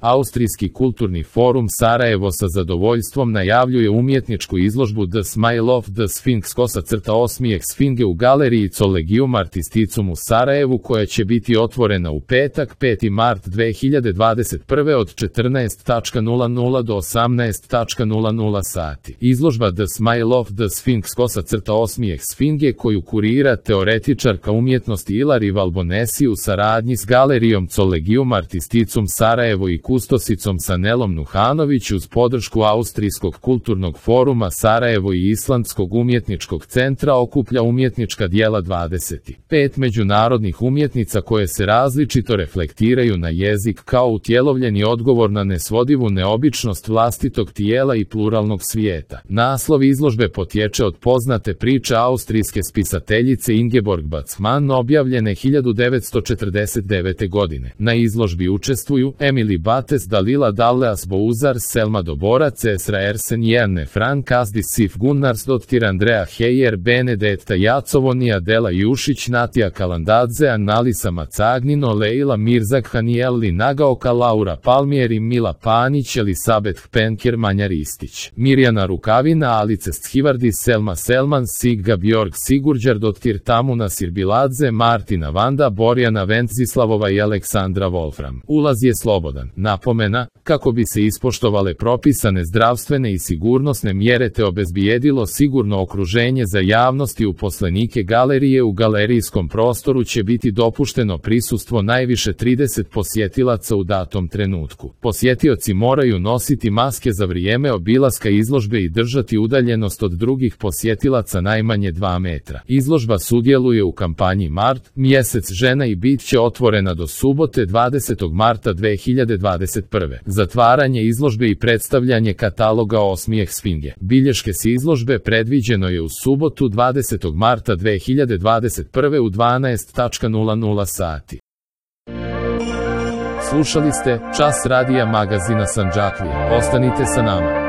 Austrijski kulturni forum Sarajevo sa zadovoljstvom najavljuje umjetničku izložbu The Smile of the Sphinx _osmijeh Sfinge u galeriji Collegium Artisticum u Sarajevu, koja će biti otvorena u petak 5. mart 2021. od 14:00 do 18:00 sati. Izložba The Smile of the Sphinx _osmijeh Sfinge, koju kurira teoretičarka umjetnosti Ilari Valbonesi u saradnji s galerijom Collegium Artisticum Sarajevo i kustosicom Sanelom Nuhanović uz podršku Austrijskog kulturnog foruma Sarajevo i Islandskog umjetničkog centra, okuplja umjetnička djela 25 međunarodnih umjetnica koje se različito reflektiraju na jezik kao utjelovljeni odgovor na nesvodivu neobičnost vlastitog tijela i pluralnog svijeta. Naslov izložbe potječe od poznate priče austrijske spisateljice Ingeborg Bachmann, objavljene 1949. godine. Na izložbi učestvuju Emily Bates, Dalila Dalleas Bouzar, Selma Dobora, Cesra Ersen, Jerne Frank, Asdis Sif Gunnarsdottir, Andrea Heyer, Benedetta Jacovoni, Adela Jušić, Natija Kalandadze, Annalisa Macagnino, Leila Mirzak, Hanijelli Nagaoka, Laura Palmieri, Mila Panić, Elisabeth Penker, Manja Ristić, Mirjana Rukavina, Alice Sthivardis, Selma Selman, Sigga Bjorg Sigurđardottir, Tamuna Sirbiladze, Martina Vanda, Borjana Ventzislavova i Aleksandra Wolfram. Ulaz je slobodan. Napomena, kako bi se ispoštovale propisane zdravstvene i sigurnosne mjere te obezbijedilo sigurno okruženje za javnost i uposlenike galerije, u galerijskom prostoru će biti dopušteno prisustvo najviše 30 posjetilaca u datom trenutku. Posjetioci moraju nositi maske za vrijeme obilaska izložbe i držati udaljenost od drugih posjetilaca najmanje 2 metra. Izložba sudjeluje u kampanji Mart, mjesec žena, i bit će otvorena do subote 20. marta 2021. Zatvaranje izložbe i predstavljanje kataloga Osmijeh Sfinge. Bilješke s izložbe predviđeno je u subotu 20. marta 2021. u 12:00 sati. Slušali ste Čas radija magazina Sandžaklija. Ostanite sa nama.